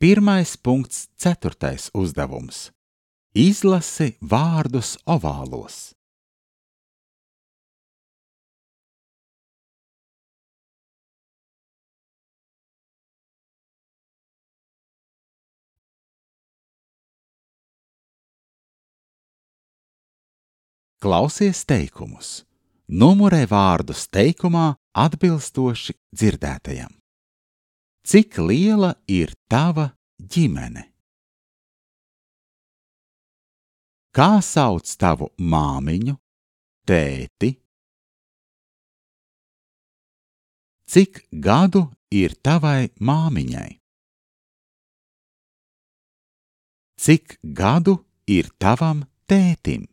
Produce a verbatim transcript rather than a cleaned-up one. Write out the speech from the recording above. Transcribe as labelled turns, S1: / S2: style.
S1: Pirmais punkts, ceturtais uzdevums. Izlasi vārdus ovālos. Klausies teikumus. Numurē vārdus teikumā atbilstoši dzirdētajam. Cik liela ir tava ģimene? Kā sauc tavu māmiņu, tēti? Cik gadu ir tavai māmiņai? Cik gadu ir tavam tētim?